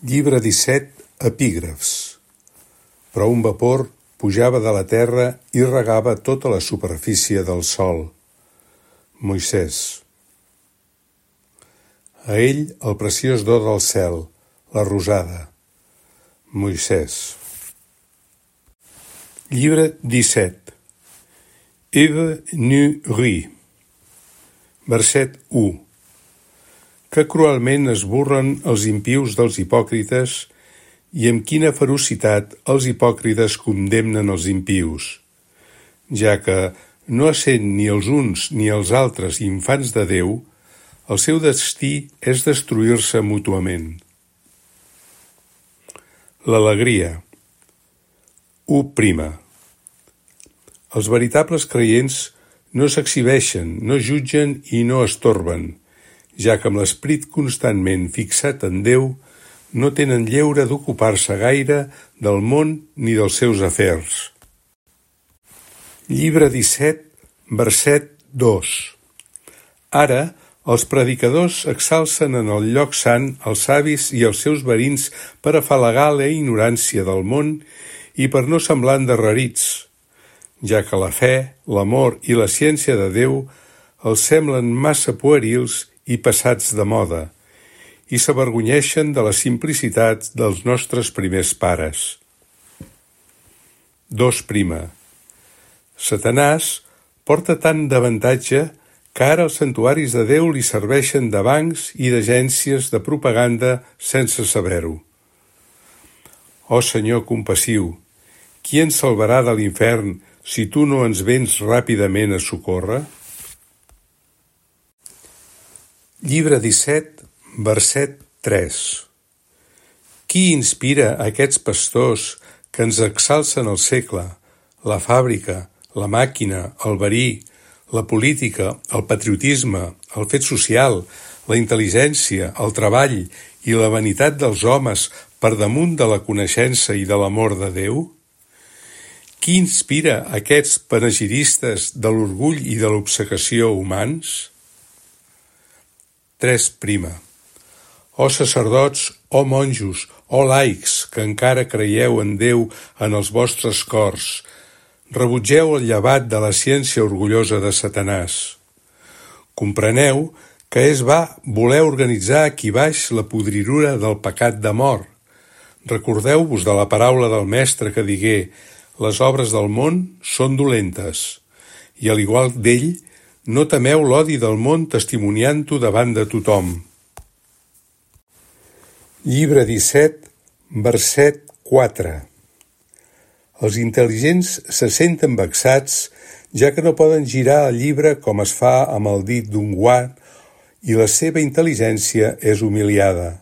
Llibre 17, epígrafs. Però un vapor pujava de la terra i regava tota la superfície del sòl. Moisès. A ell el preciós do del cel, la rosada. Moisès. Llibre 17. Eve nu ri. Verset 1. Que cruelment es burlen els impius dels hipòcrites i amb quina ferocitat els hipòcrites condemnen els impius, ja que, no essent ni els uns ni els altres infants de Déu, el seu destí és destruir-se mútuament. L'alegria. 1. Els veritables creients no s'exhibeixen, no jutgen i no estorben, ja que amb l'esperit constantment fixat en Déu no tenen lleure d'ocupar-se gaire del món ni dels seus afers. Llibre 17, verset 2. Ara, els predicadors exalcen en el lloc sant els savis i els seus verins per afalagar la ignorància del món i per no semblar endarrerits, ja que la fe, l'amor i la ciència de Déu els semblen massa puerils i passats de moda, i s'avergonyeixen de la simplicitat dels nostres primers pares. 2. Satanàs porta tant d'avantatge que ara els santuaris de Déu li serveixen de bancs i d'agències de propaganda sense saber-ho. Ó Senyor compassiu, qui ens salvarà de l'infern si tu no ens vens ràpidament a socórrer? Llibre 17, verset 3. Qui inspira aquests pastors que ens exalcen el segle, la fàbrica, la màquina, el verí, la política, el patriotisme, el fet social, la intel·ligència, el treball i la vanitat dels homes per damunt de la coneixença i de l'amor de Déu? Qui inspira aquests panegiristes de l'orgull i de l'obcecació humans? 3. Ó sacerdots, ó monjos, ó laics, que encara creieu en Déu en els vostres cors, rebutgeu el llevat de la ciència orgullosa de Satanàs. Compreneu que és va voler organitzar aquí baix la podridura del pecat de mort. Recordeu-vos de la paraula del Mestre que digué: les obres del món són dolentes, i al igual d'ell, no temeu l'odi del món testimoniant-ho davant de tothom. Llibre 17, verset 4. Els intel·ligents se senten vexats, ja que no poden girar el llibre com es fa amb el dit d'un guant, i la seva intel·ligència és humiliada.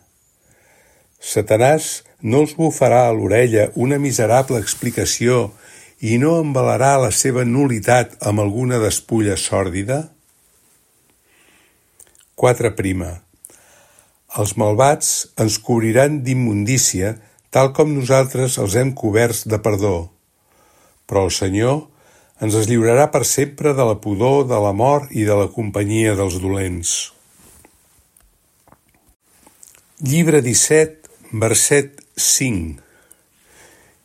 Satanàs no els bufarà a l'orella una miserable explicació i no embalarà la seva nul·litat amb alguna despulla sòrdida? 4. Els malvats ens cobriran d'immundícia, tal com nosaltres els hem coberts de perdó. Però el Senyor ens lliurarà per sempre de la pudor, de la mort i de la companyia dels dolents. Llibre 17, verset 5.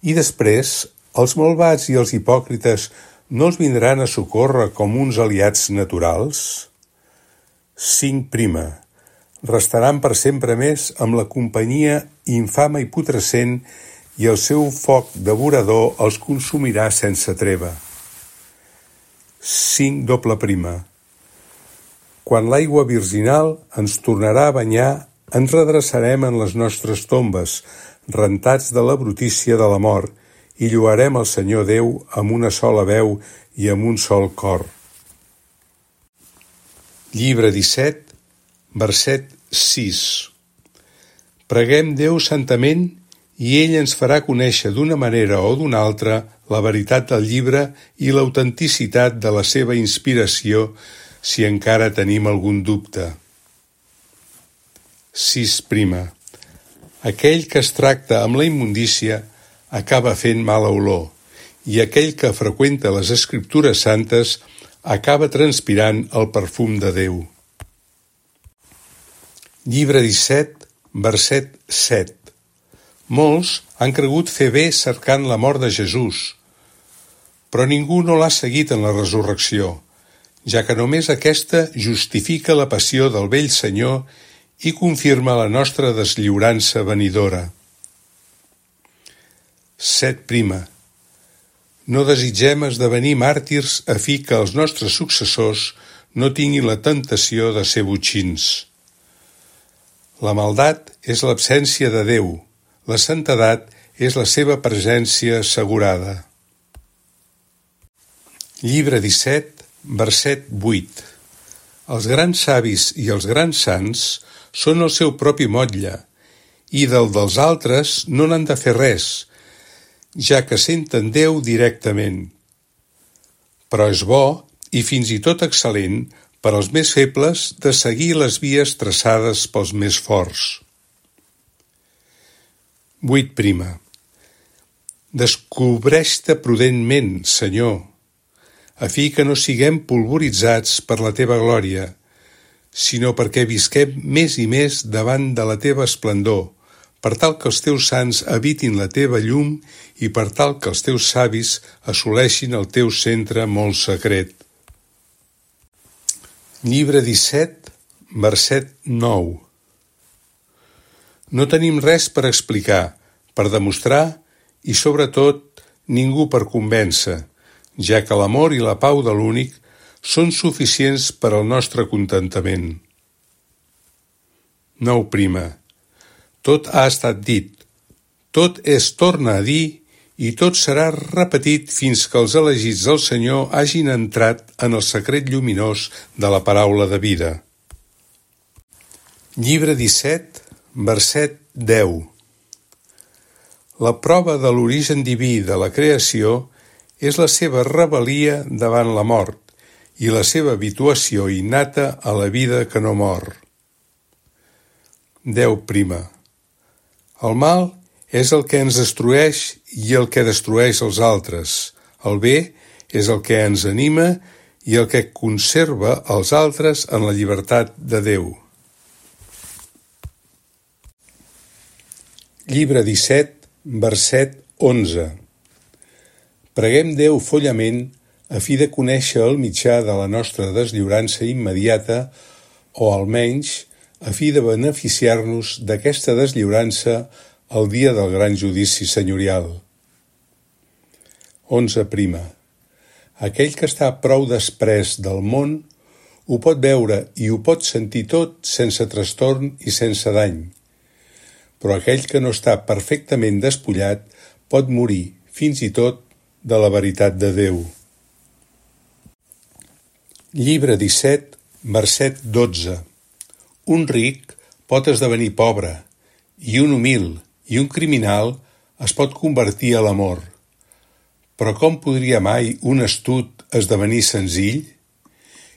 I després, els malvats i els hipòcrites no els vindran a socórrer com uns aliats naturals? 5. Restaran per sempre més amb la companyia infama i putrescent i el seu foc devorador els consumirà sense treva. 5. Quan l'aigua virginal ens tornarà a banyar, ens redreçarem en les nostres tombes, rentats de la brutícia de la mort, i lloarem el Senyor Déu amb una sola veu i amb un sol cor. Llibre 17, verset 6. Preguem Déu santament i ell ens farà conèixer d'una manera o d'una altra la veritat del llibre i l'autenticitat de la seva inspiració si encara tenim algun dubte. 6. Aquell que es tracta amb la immundícia acaba fent mala olor, i aquell que freqüenta les Escriptures santes acaba transpirant el perfum de Déu. Llibre 17, verset 7. Molts han cregut fer bé cercant la mort de Jesús, però ningú no l'ha seguit en la resurrecció, ja que només aquesta justifica la passió del vell Senyor i confirma la nostra deslliurança venidora. 7. No desitgem esdevenir màrtirs a fi que els nostres successors no tinguin la tentació de ser botxins. La maldat és l'absència de Déu, la santedat és la seva presència assegurada. Llibre 17, verset 8. Els grans savis i els grans sants són el seu propi motlle, i dels altres no n'han de fer res, ja que senten Déu directament. Però és bo, i fins i tot excel·lent, per als més febles de seguir les vies traçades pels més forts. 8. Descobreix-te prudentment, Senyor, a fi que no siguem polvoritzats per la teva glòria, sinó perquè visquem més i més davant de la teva esplendor, per tal que els teus sants habitin la teva llum i per tal que els teus savis assoleixin el teu centre molt secret. Llibre 17, verset 9. No tenim res per explicar, per demostrar i, sobretot, ningú per convèncer, ja que l'amor i la pau de l'únic són suficients per al nostre contentament. 9. Tot ha estat dit, tot es torna a dir i tot serà repetit fins que els elegits del Senyor hagin entrat en el secret lluminós de la paraula de vida. Llibre 17, verset 10. La prova de l'origen diví de la creació és la seva rebel·lia davant la mort i la seva habituació innata a la vida que no mor. 10. El mal és el que ens destrueix i el que destrueix els altres. El bé és el que ens anima i el que conserva els altres en la llibertat de Déu. Llibre 17, verset 11. Preguem Déu follament a fi de conèixer el mitjà de la nostra deslliurança immediata o, almenys, a fi de beneficiar-nos d'aquesta deslliurança el dia del gran judici senyorial. 11. Aquell que està prou desprès del món ho pot veure i ho pot sentir tot sense trastorn i sense dany, però aquell que no està perfectament despullat pot morir, fins i tot, de la veritat de Déu. Llibre 17, verset 12. Un ric pot esdevenir pobre, i un humil i un criminal es pot convertir a l'amor. Però com podria mai un astut esdevenir senzill?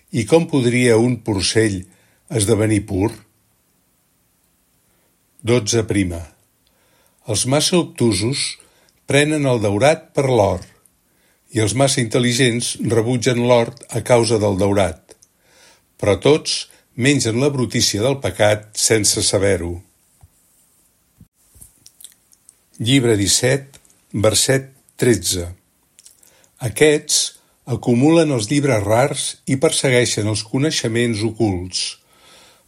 I com podria un porcell esdevenir pur? 12. Els massa obtusos prenen el daurat per l'or, i els massa intel·ligents rebutgen l'or a causa del daurat, però tots mengen la brutícia del pecat sense saber-ho. Llibre 17, verset 13. Aquests acumulen els llibres rars i persegueixen els coneixements ocults,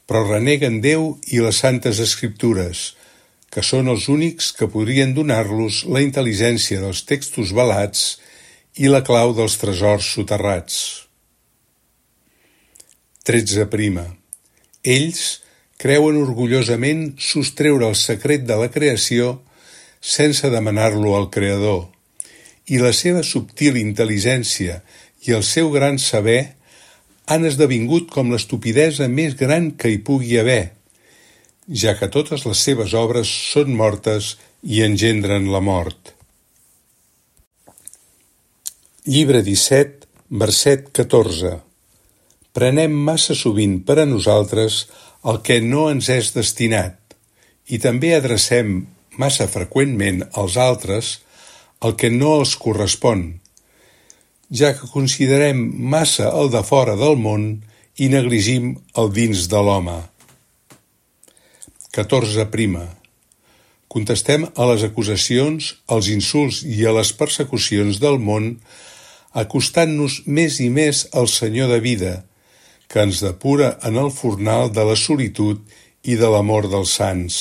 però reneguen Déu i les santes escriptures, que són els únics que podrien donar-los la intel·ligència dels textos velats i la clau dels tresors soterrats. 13. Ells creuen orgullosament sostreure el secret de la creació sense demanar-lo al Creador, i la seva subtil intel·ligència i el seu gran saber han esdevingut com l'estupidesa més gran que hi pugui haver, ja que totes les seves obres són mortes i engendren la mort. Llibre 17, verset 14. Prenem massa sovint per a nosaltres el que no ens és destinat, i també adrecem massa freqüentment als altres el que no els correspon, ja que considerem massa el de fora del món i negligim el dins de l'home. 14. contestem a les acusacions, als insults i a les persecucions del món, acostant-nos més i més al Senyor de vida, que ens depura en el fornal de la solitud i de l'amor dels sants.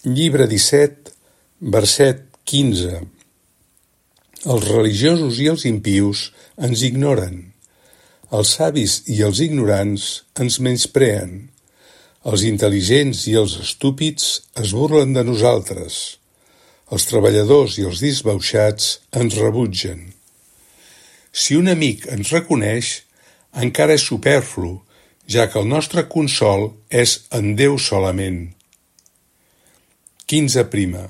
Llibre 17, verset 15. Els religiosos i els impius ens ignoren. Els savis i els ignorants ens menyspreen. Els intel·ligents i els estúpids es burlen de nosaltres. Els treballadors i els disbauxats ens rebutgen. Si un amic ens reconeix, encara és superflu, ja que el nostre consol és en Déu solament. 15.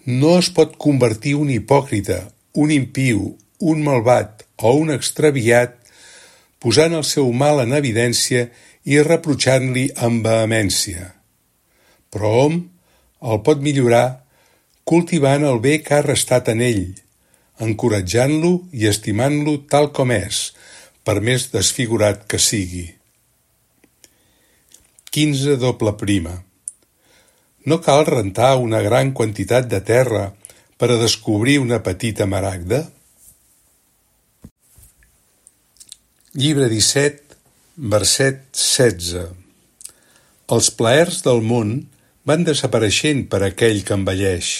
No es pot convertir un hipòcrita, un impiu, un malvat o un extraviat posant el seu mal en evidència i reprotxant-li amb vehemència. Però hom el pot millorar cultivant el bé que ha restat en ell, encoratjant-lo i estimant-lo tal com és, per més desfigurat que sigui. 15. No cal rentar una gran quantitat de terra per a descobrir una petita maragda? Llibre 17, verset 16. Els plaers del món van desapareixent per aquell que envelleix,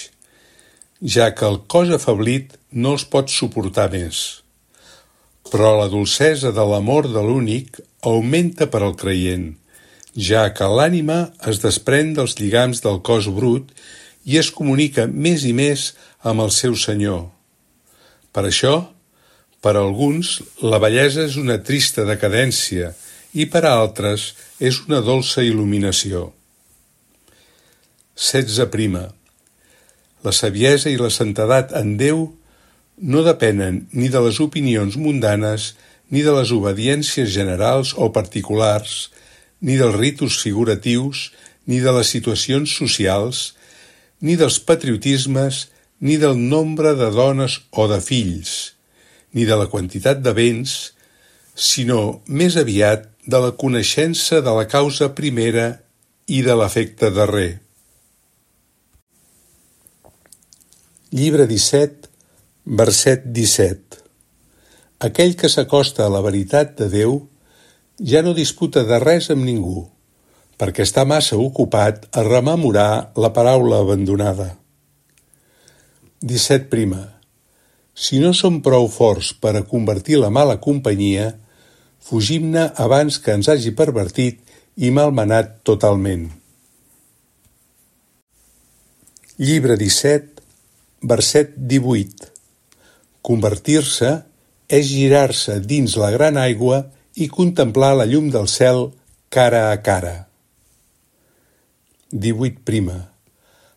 ja que el cos afeblit no els pot suportar més. Però la dolcesa de l'amor de l'únic augmenta per al creient, ja que l'ànima es desprèn dels lligams del cos brut i es comunica més i més amb el seu Senyor. Per això, per a alguns, la bellesa és una trista decadència i per a altres és una dolça il·luminació. 16. La saviesa i la santedat en Déu no depenen ni de les opinions mundanes, ni de les obediències generals o particulars, ni dels ritus figuratius, ni de les situacions socials, ni dels patriotismes, ni del nombre de dones o de fills, ni de la quantitat de béns, sinó més aviat de la coneixença de la causa primera i de l'efecte darrer. Llibre 17, verset 17. Aquell que s'acosta a la veritat de Déu ja no disputa de res amb ningú, perquè està massa ocupat a rememorar la paraula abandonada. 17. Si no som prou forts per a convertir la mala companyia, fugim-ne abans que ens hagi pervertit i malmenat totalment. Llibre 17, verset 18. Convertir-se és girar-se dins la gran aigua i contemplar la llum del cel cara a cara. 18.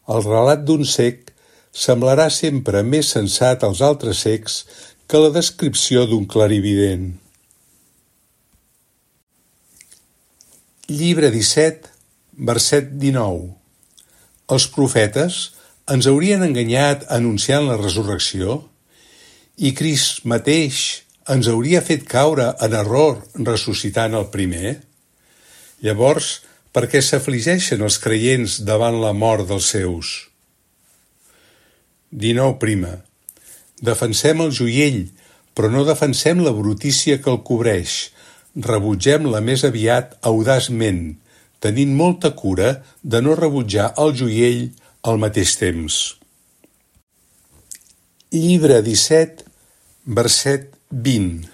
El relat d'un cec semblarà sempre més sensat als altres cecs que la descripció d'un clarivident. Llibre 17, verset 19. Els profetes ens haurien enganyat anunciant la resurrecció? I Crist mateix ens hauria fet caure en error ressuscitant el primer? Llavors, per què s'afligeixen els creients davant la mort dels seus? 19. Defensem el joiell, però no defensem la brutícia que el cobreix. Rebutgem-la més aviat audaçment, tenint molta cura de no rebutjar el joiell al mateix temps. Llibre 17, verset 20.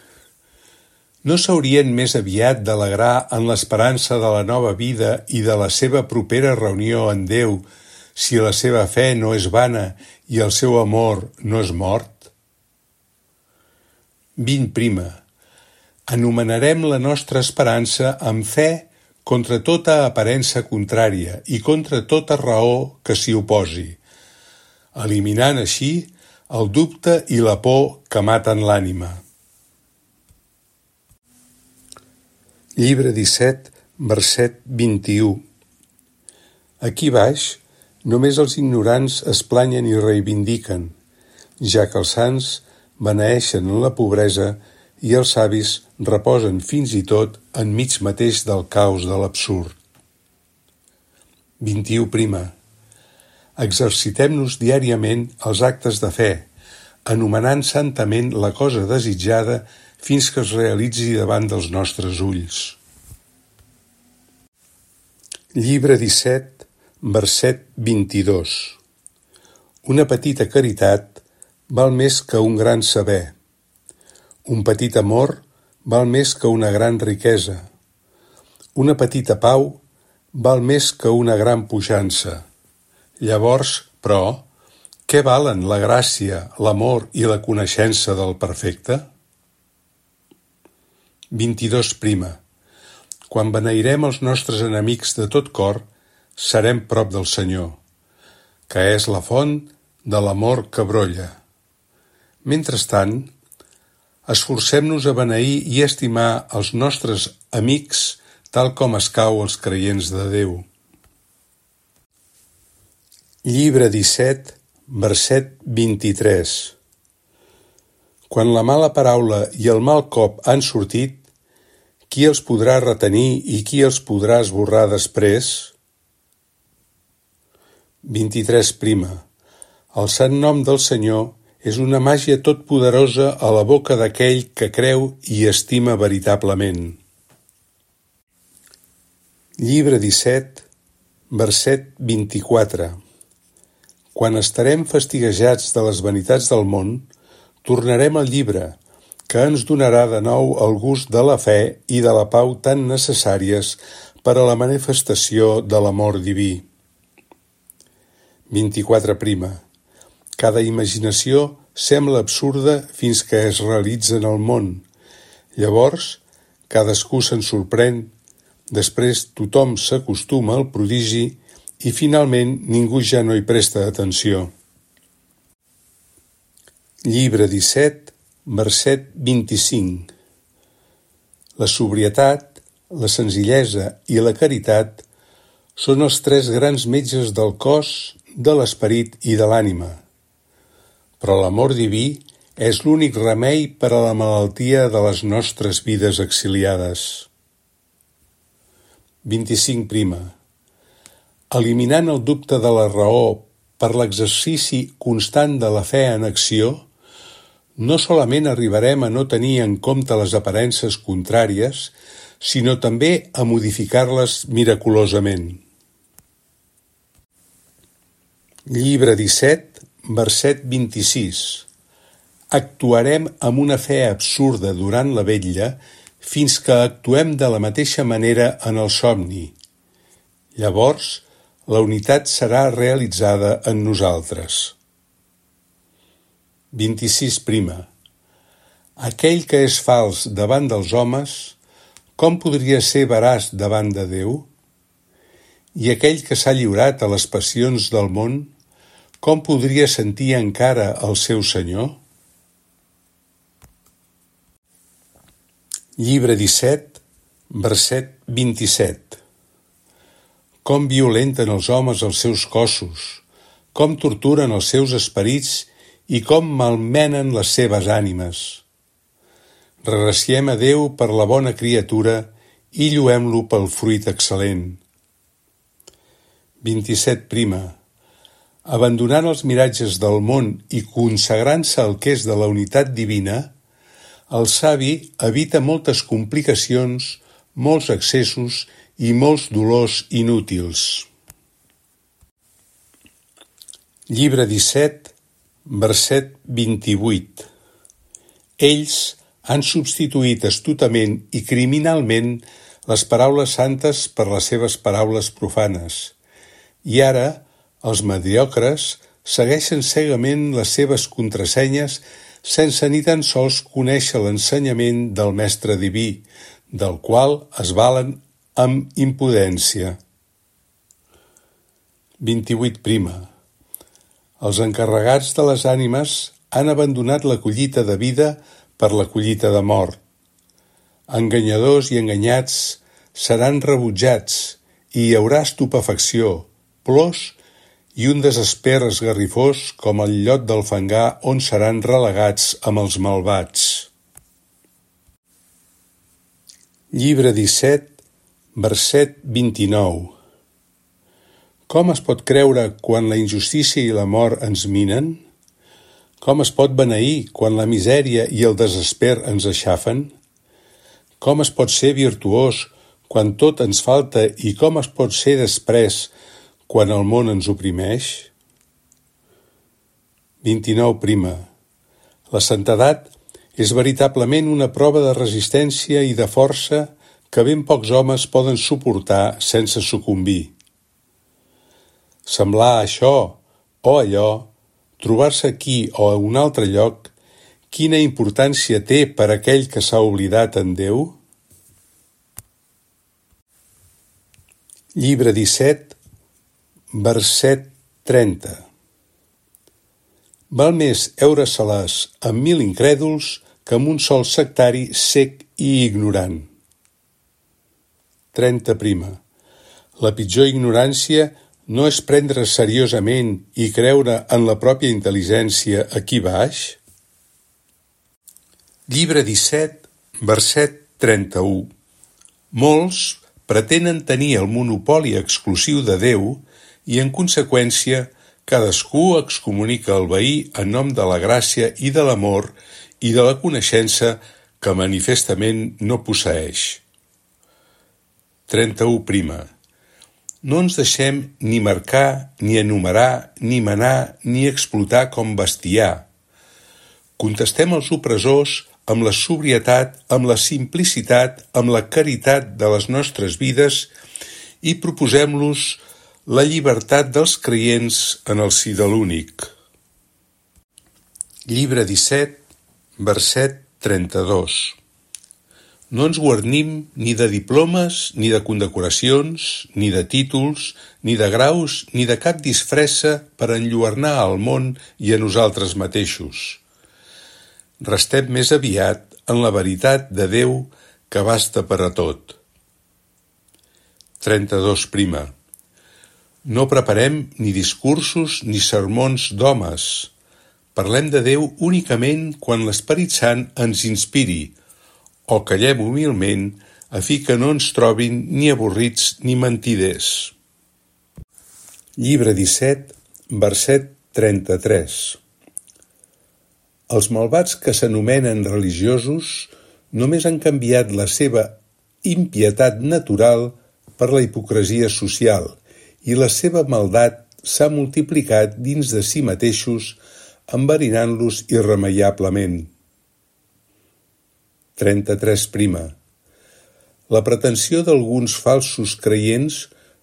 No s'haurien més aviat d'alegrar en l'esperança de la nova vida i de la seva propera reunió en Déu si la seva fe no és vana i el seu amor no és mort? 20. Anomenarem la nostra esperança amb fe contra tota aparença contrària i contra tota raó que s'hi oposi, eliminant així el dubte i la por que maten l'ànima. Llibre 17, verset 21. Aquí baix, només els ignorants es planyen i reivindiquen, ja que els sants beneeixen en la pobresa i els savis reposen fins i tot enmig mateix del caos de l'absurd. 21. Exercitem-nos diàriament els actes de fe, anomenant santament la cosa desitjada fins que es realitzi davant dels nostres ulls. Llibre 17, verset 22. Una petita caritat val més que un gran saber. Un petit amor val més que una gran riquesa. Una petita pau val més que una gran puixança. Llavors, però, què valen la gràcia, l'amor i la coneixença del perfecte? 22. Quan beneirem els nostres enemics de tot cor, serem prop del Senyor, que és la font de l'amor que brolla. Mentrestant, esforcem-nos a beneir i estimar els nostres amics tal com escau als creients de Déu. Llibre 17, verset 23. Quan la mala paraula i el mal cop han sortit, qui els podrà retenir i qui els podrà esborrar després? 23. El sant nom del Senyor és una màgia totpoderosa a la boca d'aquell que creu i estima veritablement. Llibre 17, verset 24. Quan estarem fastiguejats de les vanitats del món, tornarem al llibre, que ens donarà de nou el gust de la fe i de la pau tan necessàries per a la manifestació de l'amor diví. 24. Cada imaginació sembla absurda fins que es realitza en el món. Llavors, cadascú se'n sorprèn, després tothom s'acostuma al prodigi i finalment ningú ja no hi presta atenció. Llibre 17, verset 25. La sobrietat, la senzillesa i la caritat són els tres grans metges del cos, de l'esperit i de l'ànima. Però l'amor diví és l'únic remei per a la malaltia de les nostres vides exiliades. 25. Eliminant el dubte de la raó per l'exercici constant de la fe en acció, no solament arribarem a no tenir en compte les aparences contràries, sinó també a modificar-les miraculosament. Llibre 17, verset 26. Actuarem amb una fe absurda durant la vetlla fins que actuem de la mateixa manera en el somni. Llavors, la unitat serà realitzada en nosaltres. 26. Aquell que és fals davant dels homes, com podria ser veraç davant de Déu? I aquell que s'ha lliurat a les passions del món, com podria sentir encara el seu Senyor? Llibre 17, verset 27. Com violenten els homes els seus cossos, com torturen els seus esperits i com malmenen les seves ànimes. Regraciem a Déu per la bona criatura i lluem-lo pel fruit excel·lent. 27. Abandonant els miratges del món i consagrant-se al que és de la unitat divina, el savi evita moltes complicacions, molts excessos i molts dolors inútils. Llibre 17, verset 28. Ells han substituït astutament i criminalment les paraules santes per les seves paraules profanes, i ara els mediocres segueixen cegament les seves contrasenyes sense ni tan sols conèixer l'ensenyament del Mestre Diví, del qual es valen amb impudència. 28. Els encarregats de les ànimes han abandonat la collita de vida per la collita de mort. Enganyadors i enganyats seran rebutjats i hi haurà estupefacció, plors i un desesper esgarrifós com el llot del fangar on seran relegats amb els malvats. Llibre 17, verset 29. Com es pot creure quan la injustícia i la mort ens minen? Com es pot beneir quan la misèria i el desesper ens aixafen? Com es pot ser virtuós quan tot ens falta i com es pot ser després quan el món ens oprimeix? 29. La santedat és veritablement una prova de resistència i de força que ben pocs homes poden suportar sense sucumbir. Semblar això o allò, trobar-se aquí o a un altre lloc, quina importància té per aquell que s'ha oblidat en Déu? Llibre 17, verset 30. Val més heure-se-les amb 1000 incrèduls que amb un sol sectari cec i ignorant. 30. La pitjor ignorància no és prendre seriosament i creure en la pròpia intel·ligència aquí baix? Llibre 17, verset 31. Molts pretenen tenir el monopoli exclusiu de Déu i, en conseqüència, cadascú excomunica el veí en nom de la gràcia i de l'amor i de la coneixença que manifestament no posseeix. 31. No ens deixem ni marcar, ni enumerar, ni manar, ni explotar com bestiar. Contestem als opressors amb la sobrietat, amb la simplicitat, amb la caritat de les nostres vides i proposem-los la llibertat dels creients en el si de l'únic. Llibre 17, verset 32. No ens guarnim ni de diplomes, ni de condecoracions, ni de títols, ni de graus, ni de cap disfressa per enlluernar al món i a nosaltres mateixos. Restem més aviat en la veritat de Déu que basta per a tot. 32. No preparem ni discursos ni sermons d'homes. Parlem de Déu únicament quan l'Esperit Sant ens inspiri, o callem humilment a fi que no ens trobin ni avorrits ni mentiders. Llibre 17, verset 33. Els malvats que s'anomenen religiosos només han canviat la seva impietat natural per la hipocresia social i la seva maldat s'ha multiplicat dins de si mateixos, enverinant-los irremeiablement. 33. La pretensió d'alguns falsos creients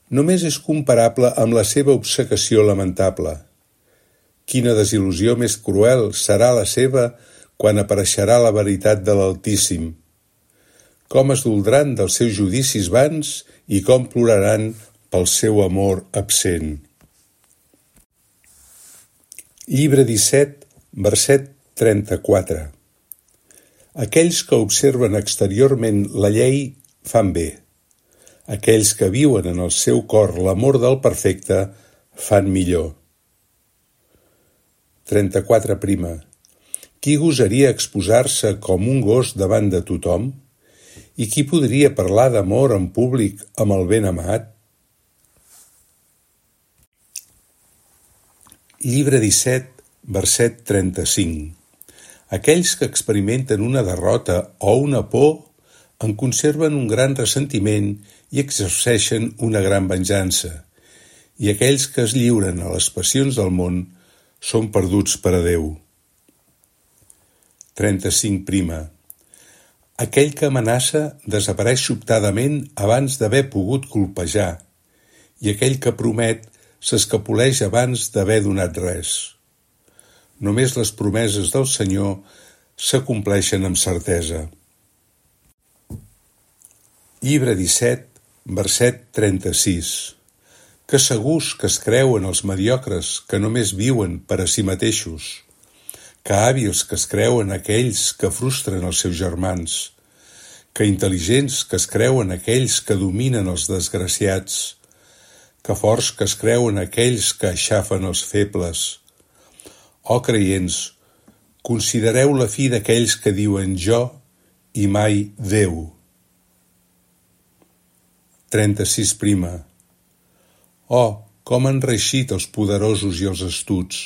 només és comparable amb la seva obcecació lamentable. Quina desil·lusió més cruel serà la seva quan apareixerà la veritat de l'Altíssim. Com es doldran dels seus judicis vans i com ploraran pel seu amor absent. Llibre 17, verset 34. Aquells que observen exteriorment la llei fan bé. Aquells que viuen en el seu cor l'amor del perfecte fan millor. 34. Qui gosaria exposar-se com un gos davant de tothom? I qui podria parlar d'amor en públic amb el ben amat? Llibre 17, verset 35. Aquells que experimenten una derrota o una por en conserven un gran ressentiment i exerceixen una gran venjança, i aquells que es lliuren a les passions del món són perduts per a Déu. 35. Aquell que amenaça desapareix sobtadament abans d'haver pogut colpejar, i aquell que promet s'escapoleix abans d'haver donat res. Només les promeses del Senyor s'acompleixen amb certesa. Llibre 17, verset 36. Que segurs que es creuen els mediocres que només viuen per a si mateixos. Que hàbils que es creuen aquells que frustren els seus germans. Que intel·ligents que es creuen aquells que dominen els desgraciats. Que forts que es creuen aquells que aixafen els febles. Creients, considereu la fi d'aquells que diuen jo i mai Déu. 36. com han reeixit els poderosos i els astuts!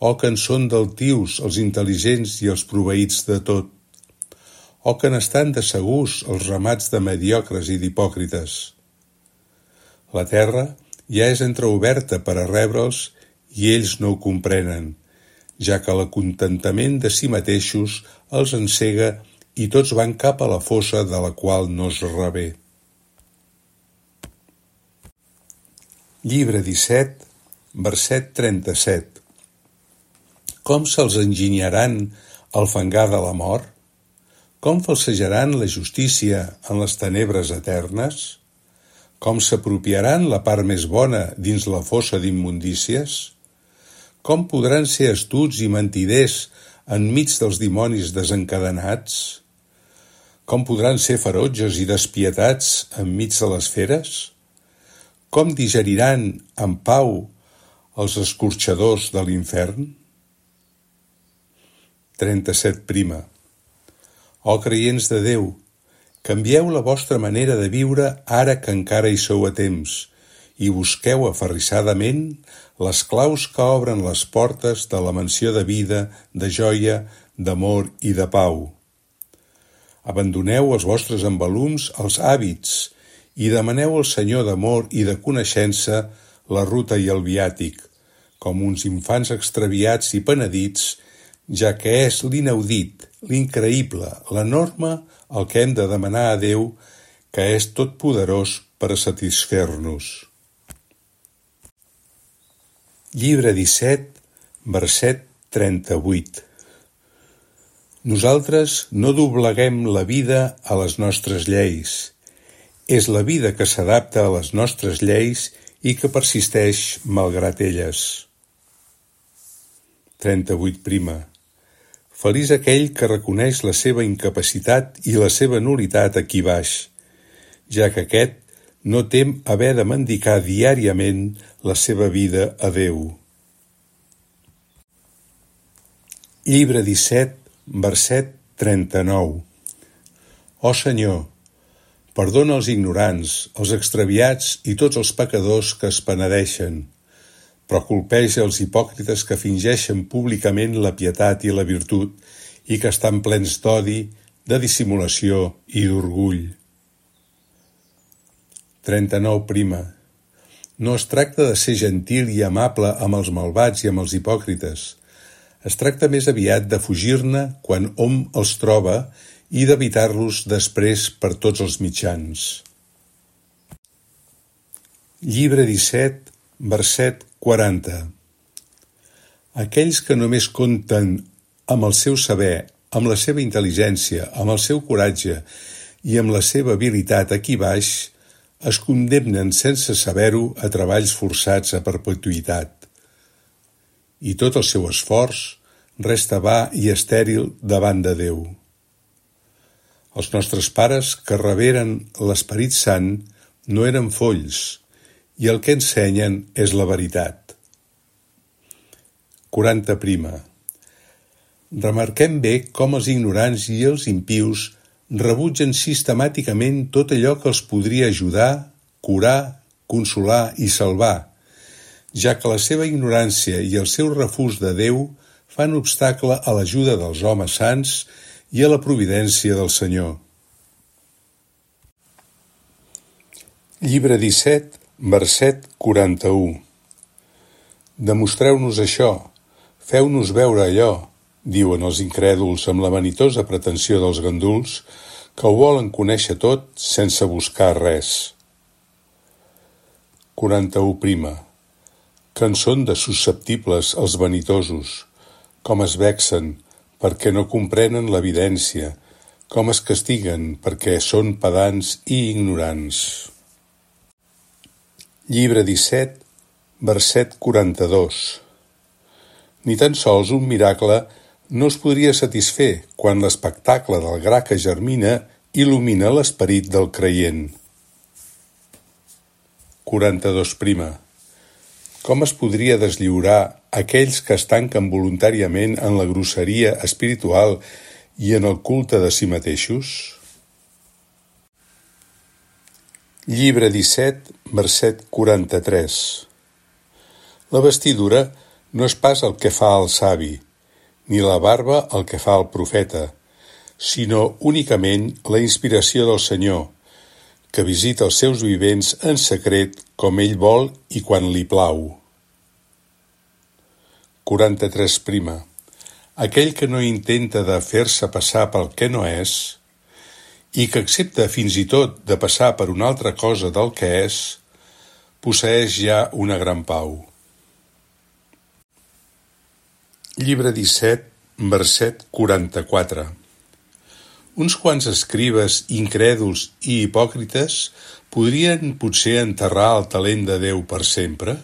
Oh, que en són d'altius els intel·ligents i els proveïts de tot! Oh, que n'estan de segurs els ramats de mediocres i d'hipòcrites! La terra ja és entreoberta per a rebre'ls i ells no ho comprenen, ja que l'acontentament de si mateixos els encega i tots van cap a la fossa de la qual no es revé. Llibre 17, verset 37. Com se'ls enginyaran al fangar de la mort? Com falsejaran la justícia en les tenebres eternes? Com s'apropiaran la part més bona dins la fossa d'immundícies? Com podran ser astuts i mentiders enmig dels dimonis desencadenats? Com podran ser ferotges i despietats enmig de les feres? Com digeriran en pau els escorxadors de l'infern? 37. Oh creients de Déu, canvieu la vostra manera de viure ara que encara hi sou a temps i busqueu aferrissadament les claus que obren les portes de la mansió de vida, de joia, d'amor i de pau. Abandoneu els vostres embalums als hàbits i demaneu al Senyor d'amor i de coneixença la ruta i el viàtic, com uns infants extraviats i penedits, ja que és l'inaudit, l'increïble, l'enorme el que hem de demanar a Déu, que és totpoderós per a satisfer-nos. Llibre 17, verset 38. Nosaltres no dobleguem la vida a les nostres lleis. És la vida que s'adapta a les nostres lleis i que persisteix malgrat elles. 38. Feliç aquell que reconeix la seva incapacitat i la seva nul·litat aquí baix, ja que aquest no tem haver de mendicar diàriament la seva vida a Déu. Llibre 17, verset 39. Ó Senyor, perdona els ignorants, els extraviats i tots els pecadors que es penedeixen, però colpeja els hipòcrites que fingeixen públicament la pietat i la virtut i que estan plens d'odi, de dissimulació i d'orgull. 39. No es tracta de ser gentil i amable amb els malvats i amb els hipòcrites. Es tracta més aviat de fugir-ne quan hom els troba i d'evitar-los després per tots els mitjans. Llibre 17, verset 40. Aquells que només compten amb el seu saber, amb la seva intel·ligència, amb el seu coratge i amb la seva habilitat aquí baix, es condemnen sense saber-ho a treballs forçats a perpetuïtat. I tot el seu esforç resta va i estèril davant de Déu. Els nostres pares que reberen l'Esperit Sant no eren folls, i el que ensenyen és la veritat. 40. Remarquem bé com els ignorants i els impius rebutgen sistemàticament tot allò que els podria ajudar, curar, consolar i salvar, ja que la seva ignorància i el seu refús de Déu fan obstacle a l'ajuda dels homes sants i a la providència del Senyor. Llibre 17, verset 41. Demostreu-nos això, feu-nos veure allò, diuen els incrèduls amb la vanitosa pretensió dels ganduls que ho volen conèixer tot sense buscar res. 41. Que en són de susceptibles els vanitosos, com es vexen perquè no comprenen l'evidència, com es castiguen perquè són pedants i ignorants. Llibre 17, verset 42. Ni tan sols un miracle no es podria satisfer quan l'espectacle del gra que germina il·lumina l'esperit del creient. 42. Com es podria deslliurar aquells que es tanquen voluntàriament en la grosseria espiritual i en el culte de si mateixos? Llibre 17, verset 43. La vestidura no és pas el que fa el savi, ni la barba el que fa el profeta, sinó únicament la inspiració del Senyor, que visita els seus vivents en secret com ell vol i quan li plau. 43. Aquell que no intenta de fer-se passar pel que no és, i que accepta fins i tot de passar per una altra cosa del que és, posseeix ja una gran pau. Llibre 17, verset 44. Uns quants escribes incrèduls i hipòcrites podrien potser enterrar el talent de Déu per sempre?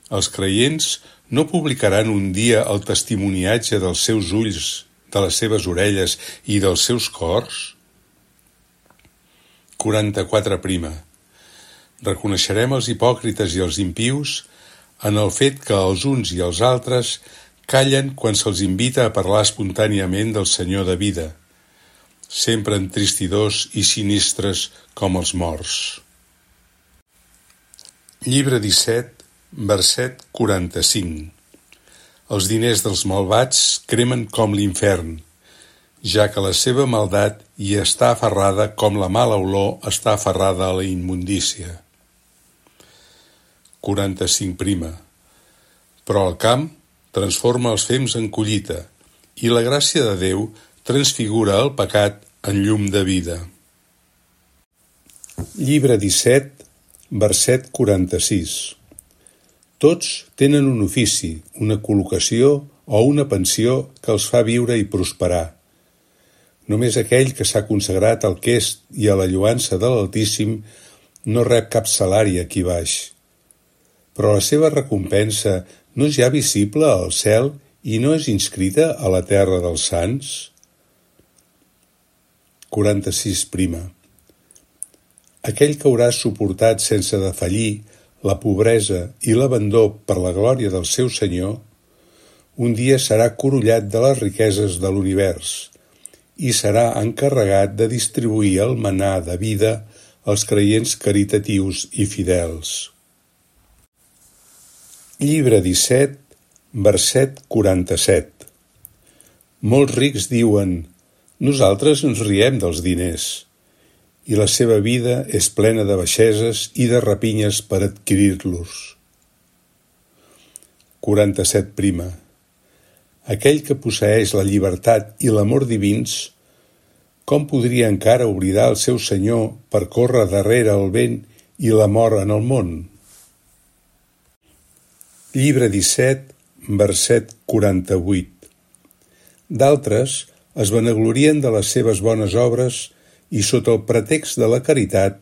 Els creients no publicaran un dia el testimoniatge dels seus ulls, de les seves orelles i dels seus cors? 44. Reconeixerem els hipòcrites i els impius en el fet que els uns i els altres callen quan se'ls invita a parlar espontàniament del Senyor de vida, sempre entristidors i sinistres com els morts. Llibre 17, verset 45. Els diners dels malvats cremen com l'infern, ja que la seva maldat hi està aferrada com la mala olor està aferrada a la immundícia. 45. Però el camp transforma els fems en collita, i la gràcia de Déu transfigura el pecat en llum de vida. Llibre 17, verset 46. Tots tenen un ofici, una col·locació o una pensió que els fa viure i prosperar. Només aquell que s'ha consagrat al quest i a la lloança de l'Altíssim no rep cap salari aquí baix. Però la seva recompensa no és ja visible al cel i no és inscrita a la terra dels sants? 46. Aquell que haurà suportat sense defallir la pobresa i l'abandó per la glòria del seu Senyor, un dia serà corollat de les riqueses de l'univers i serà encarregat de distribuir el manà de vida als creients caritatius i fidels. Llibre 17, verset 47. Molts rics diuen: nosaltres ens riem dels diners, i la seva vida és plena de baixeses i de rapinyes per adquirir-los. 47. Aquell que posseeix la llibertat i l'amor divins, com podria encara oblidar el seu Senyor per córrer darrere el vent i la mort en el món? Llibre 17, verset 48. D'altres es vanaglorien de les seves bones obres i sota el pretext de la caritat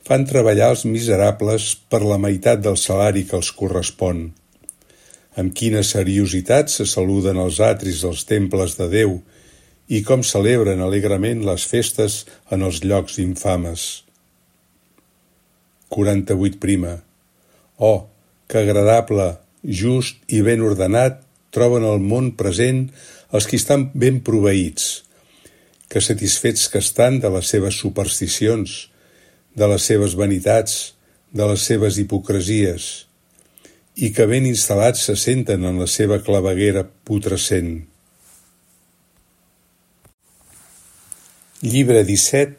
fan treballar els miserables per la meitat del salari que els correspon. Amb quina seriositat se saluden els atris dels temples de Déu i com celebren alegrement les festes en els llocs infames. 48. Oh, que agradable, just i ben ordenat troben el món present els qui estan ben proveïts, que satisfets que estan de les seves supersticions, de les seves vanitats, de les seves hipocresies, i que ben instal·lats se senten en la seva claveguera putrescent. Llibre 17,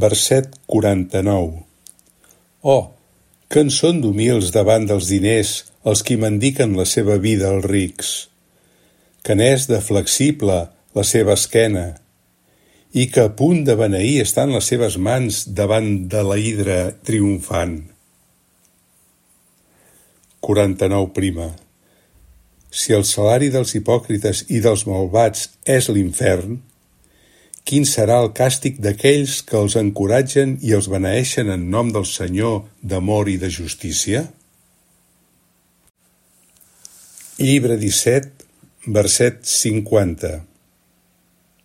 verset 49. Oh, que en són d'humils davant dels diners els qui mendiquen la seva vida als rics, que n'és de flexible la seva esquena, i que a punt de beneir estan les seves mans davant de la hidra triomfant. 49. Si el salari dels hipòcrites i dels malvats és l'infern, quin serà el càstig d'aquells que els encoratgen i els beneeixen en nom del Senyor d'amor i de justícia? Llibre 17, verset 50.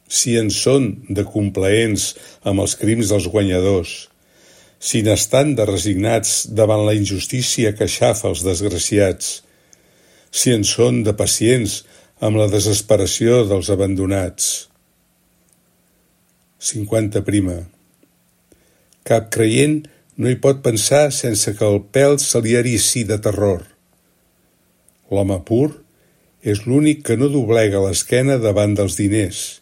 Si en són de complaents amb els crims dels guanyadors, si n'estan de resignats davant la injustícia que aixafa els desgraciats, si en són de pacients amb la desesperació dels abandonats. 50. Cap creient no hi pot pensar sense que el pèl se li erici de terror. l'home pur, és l'únic que no doblega l'esquena davant dels diners,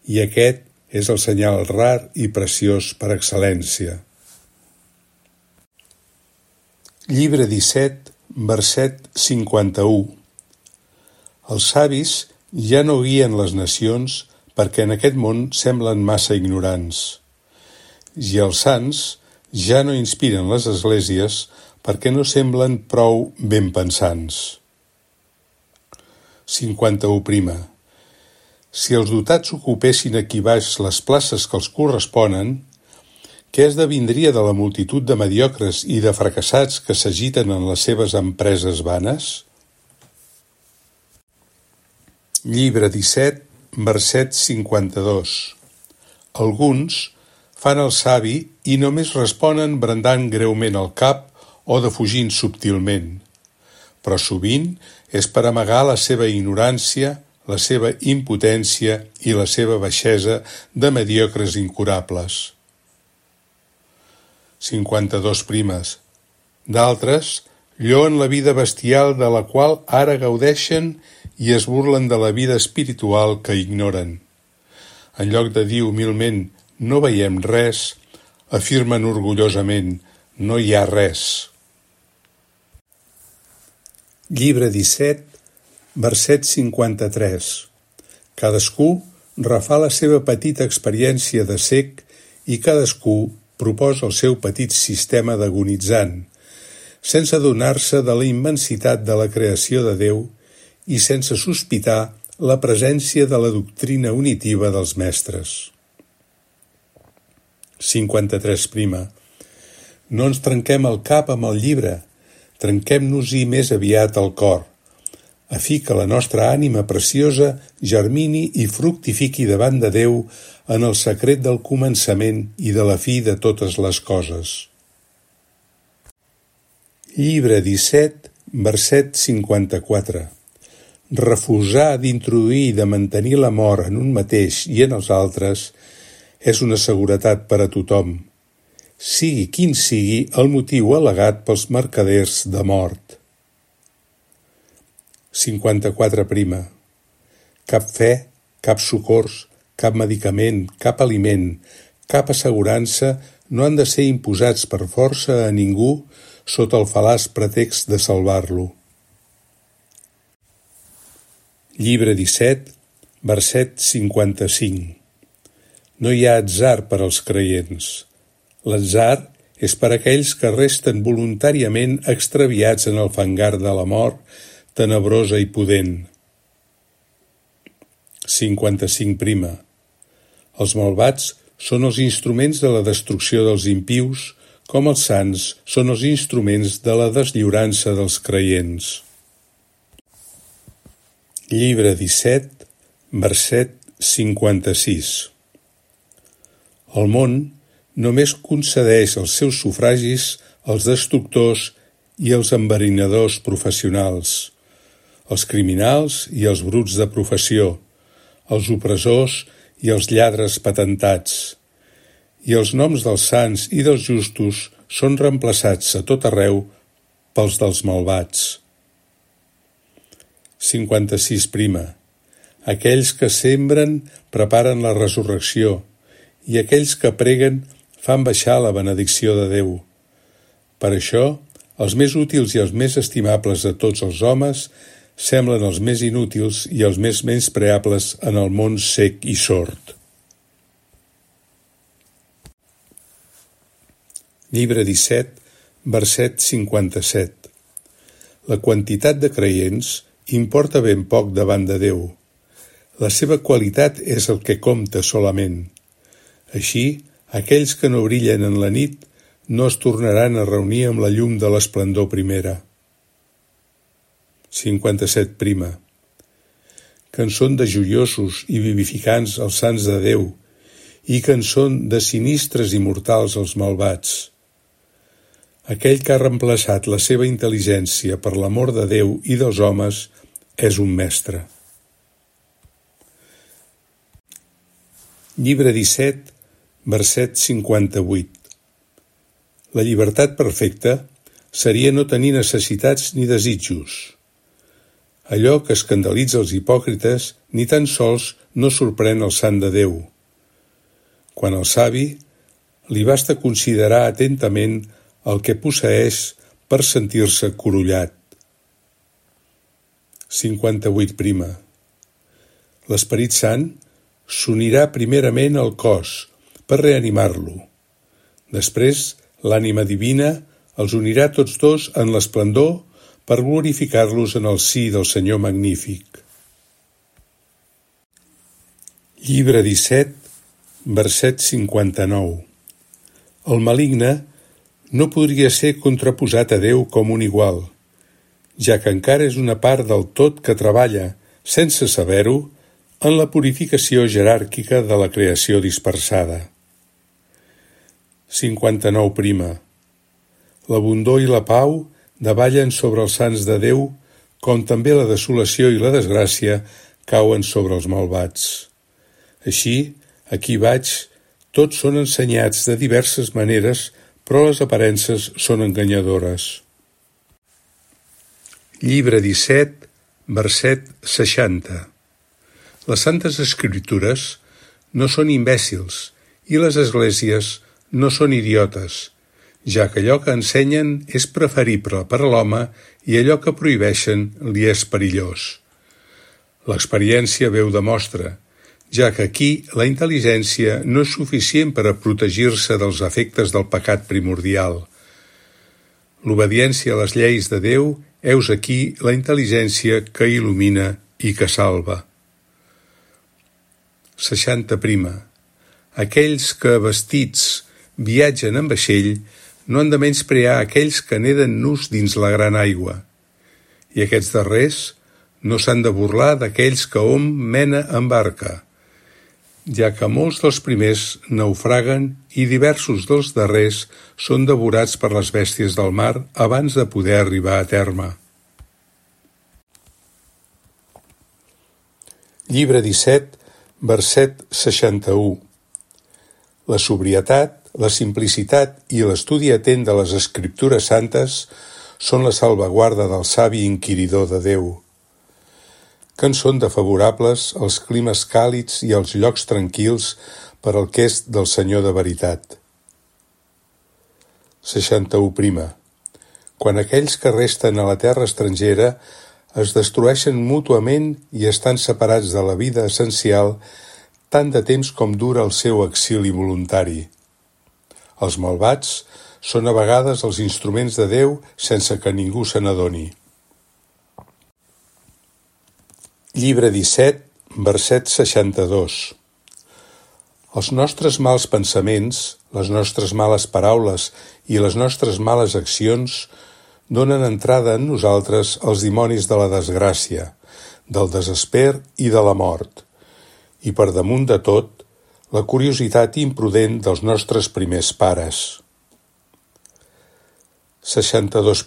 i aquest és el senyal rar i preciós per excel·lència. Llibre 17, verset 51. Els savis ja no guien les nacions perquè en aquest món semblen massa ignorants, i els sants ja no inspiren les esglésies perquè no semblen prou ben pensants. 51. Si els dotats ocupessin aquí baix les places que els corresponen, què esdevindria de la multitud de mediocres i de fracassats que s'agiten en les seves empreses vanes? Llibre 17, verset 52. Alguns fan el savi i només responen brandant greument el cap o defugint subtilment, però sovint és per amagar la seva ignorància, la seva impotència i la seva baixesa de mediocres incurables. 52. D'altres lloen la vida bestial de la qual ara gaudeixen i es burlen de la vida espiritual que ignoren. En lloc de dir humilment no veiem res, afirmen orgullosament no hi ha res. Llibre 17, verset 53. Cadascú refà la seva petita experiència de cec i cadascú proposa el seu petit sistema d'agonitzant, sense adonar-se de la immensitat de la creació de Déu i sense sospitar la presència de la doctrina unitiva dels mestres. 53. No ens trenquem el cap amb el llibre, trenquem-nos-hi més aviat el cor, a fi que la nostra ànima preciosa germini i fructifiqui davant de Déu en el secret del començament i de la fi de totes les coses. Llibre 17, verset 54. Refusar d'introduir i de mantenir l'amor en un mateix i en els altres és una seguretat per a tothom, sigui quin sigui el motiu al·legat pels mercaders de mort. 54. Cap fe, cap socors, cap medicament, cap aliment, cap assegurança no han de ser imposats per força a ningú sota el fal·laç pretext de salvar-lo. Llibre 17, verset 55. No hi ha atzar per als creients. L'atzar és per aquells que resten voluntàriament extraviats en el fangar de la mort, tenebrosa i pudent. 55. Els malvats són els instruments de la destrucció dels impius, com els sants són els instruments de la deslliurança dels creients. Llibre 17, verset 56. El món només concedeix els seus sufragis als destructors i als enverinadors professionals, els criminals i els bruts de professió, els opressors i els lladres patentats, i els noms dels sants i dels justos són reemplaçats a tot arreu pels dels malvats. 56. Aquells que sembren preparen la resurrecció, i aquells que preguen fan baixar la benedicció de Déu. Per això, els més útils i els més estimables de tots els homes semblen els més inútils i els més menyspreables en el món sec i sord. Llibre 17, verset 57. La quantitat de creients importa ben poc davant de Déu. La seva qualitat és el que compta solament. Així, aquells que no brillen en la nit no es tornaran a reunir amb la llum de l'esplendor primera. 57. Que en són de joiosos i vivificants els sants de Déu i que en són de sinistres i mortals els malvats. Aquell que ha reemplaçat la seva intel·ligència per l'amor de Déu i dels homes és un mestre. Llibre 17, verset 58. La llibertat perfecta seria no tenir necessitats ni desitjos. Allò que escandalitza els hipòcrites ni tan sols no sorprèn el sant de Déu. Quan al savi li basta considerar atentament el que posseeix per sentir-se corollat. 58. L'Esperit Sant s'unirà primerament al cos per reanimar-lo. Després, l'ànima divina els unirà tots dos en l'esplendor per glorificar-los en el si del Senyor Magnífic. Llibre 17, verset 59. El maligne no podria ser contraposat a Déu com un igual, ja que encara és una part del tot que treballa, sense saber-ho, en la purificació jeràrquica de la creació dispersada. 59. L'abundor i la pau davallen sobre els sants de Déu, com també la desolació i la desgràcia cauen sobre els malvats. Així, aquí vaig, tots són ensenyats de diverses maneres, però les aparences són enganyadores. Llibre 17, verset 60. Les Santes Escriptures no són imbècils i les esglésies no són idiotes, ja que allò que ensenyen és preferible per a l'home i allò que prohibeixen li és perillós. L'experiència veu demostra, ja que aquí la intel·ligència no és suficient per a protegir-se dels efectes del pecat primordial. L'obediència a les lleis de Déu heus aquí la intel·ligència que il·lumina i que salva. 60. Aquells que, vestits, viatgen en vaixell no han de menysprear aquells que neden nus dins la gran aigua, i aquests darrers no s'han de burlar d'aquells que hom mena en barca, ja que molts dels primers naufraguen i diversos dels darrers són devorats per les bèsties del mar abans de poder arribar a terme. Llibre 17, verset 61. La sobrietat, la simplicitat i l'estudi atent de les Escriptures santes són la salvaguarda del savi inquiridor de Déu, que en són de favorables els climes càlids i els llocs tranquils per al que és del Senyor de veritat. 61. Quan aquells que resten a la terra estrangera es destrueixen mútuament i estan separats de la vida essencial tant de temps com dura el seu exili voluntari. Els malvats són a vegades els instruments de Déu sense que ningú se n'adoni. Llibre 17, verset 62. Els nostres mals pensaments, les nostres males paraules i les nostres males accions donen entrada en nosaltres als dimonis de la desgràcia, del desesper i de la mort, i per damunt de tot, la curiositat imprudent dels nostres primers pares. 62.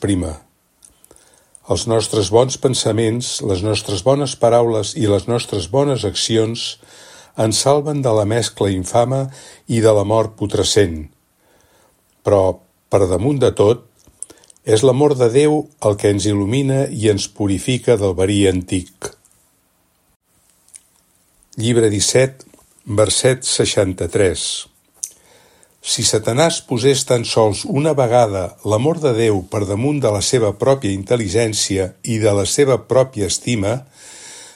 Els nostres bons pensaments, les nostres bones paraules i les nostres bones accions ens salven de la mescla infama i de la mort putrescent. Però, per damunt de tot, és l'amor de Déu el que ens il·lumina i ens purifica del verí antic. Llibre 17, verset 63. Si Satanàs posés tan sols una vegada l'amor de Déu per damunt de la seva pròpia intel·ligència i de la seva pròpia estima,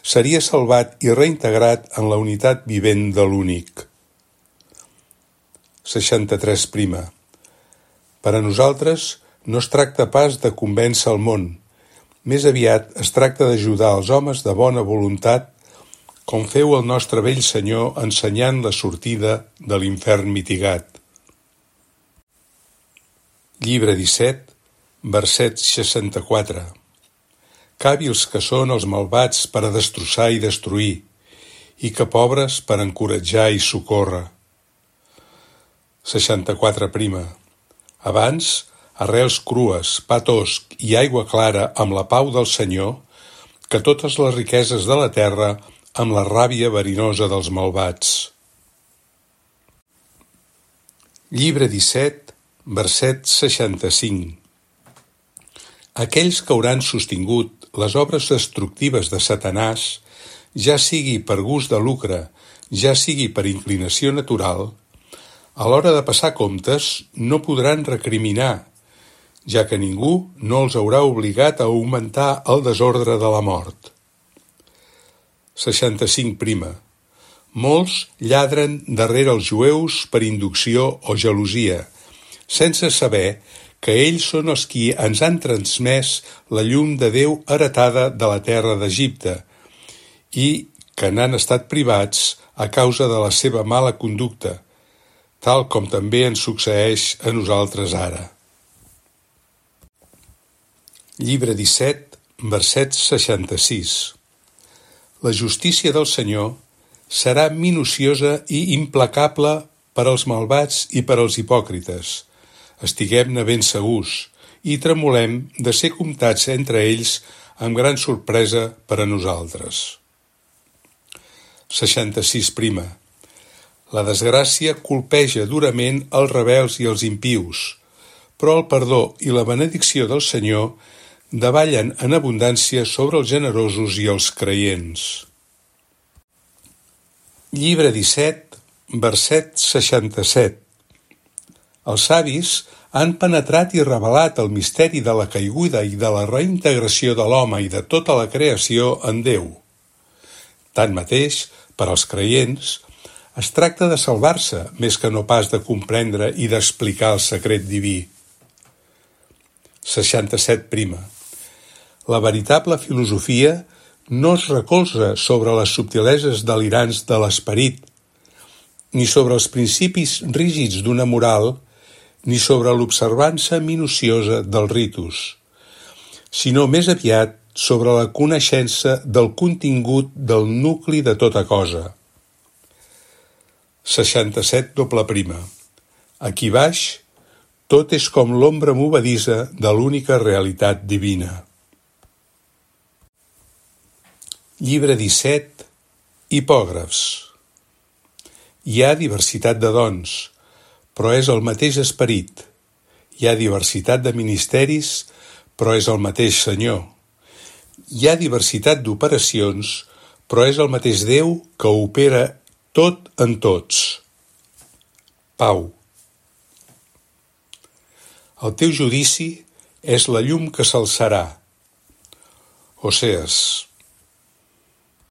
seria salvat i reintegrat en la unitat vivent de l'únic. 63. Per a nosaltres no es tracta pas de convèncer el món, més aviat es tracta d'ajudar els homes de bona voluntat, com feu el nostre vell Senyor ensenyant la sortida de l'infern mitigat. Llibre 17, verset 64. Càbils que són els malvats per a destrossar i destruir, i que pobres per encoratjar i socórrer. 64. Abans, arrels crues, pa tosc i aigua clara amb la pau del Senyor, que totes les riqueses de la terra amb la ràbia verinosa dels malvats. Llibre 17, verset 65. Aquells que hauran sostingut, les obres destructives de Satanàs, ja sigui per gust de lucre, ja sigui per inclinació natural, a l'hora de passar comptes no podran recriminar, ja que ningú no els haurà obligat a augmentar el desordre de la mort. 65. Molts lladren darrere els jueus per inducció o gelosia, sense saber que ells són els qui ens han transmès la llum de Déu heretada de la terra d'Egipte i que n'han estat privats a causa de la seva mala conducta, tal com també ens succeeix a nosaltres ara. Llibre 17, verset 66. La justícia del Senyor serà minuciosa i implacable per als malvats i per als hipòcrites. Estiguem-ne ben segurs i tremolem de ser comptats entre ells amb gran sorpresa per a nosaltres. 66. La desgràcia colpeja durament els rebels i els impius, però el perdó i la benedicció del Senyor davallen en abundància sobre els generosos i els creients. Llibre 17, verset 67. Els savis han penetrat i revelat el misteri de la caiguda i de la reintegració de l'home i de tota la creació en Déu. Tanmateix, per als creients, es tracta de salvar-se més que no pas de comprendre i d'explicar el secret diví. 67. La veritable filosofia no es recolza sobre les subtileses delirants de l'esperit, ni sobre els principis rígids d'una moral, ni sobre l'observança minuciosa dels ritus, sinó més aviat sobre la coneixença del contingut del nucli de tota cosa. 67. Aquí baix, tot és com l'ombra movedissa de l'única realitat divina. Llibre 17. Hipògrafs. Hi ha diversitat de dons, però és el mateix esperit. Hi ha diversitat de ministeris, però és el mateix Senyor. Hi ha diversitat d'operacions, però és el mateix Déu que opera tot en tots. Pau. El teu judici és la llum que s'alçarà. Osees.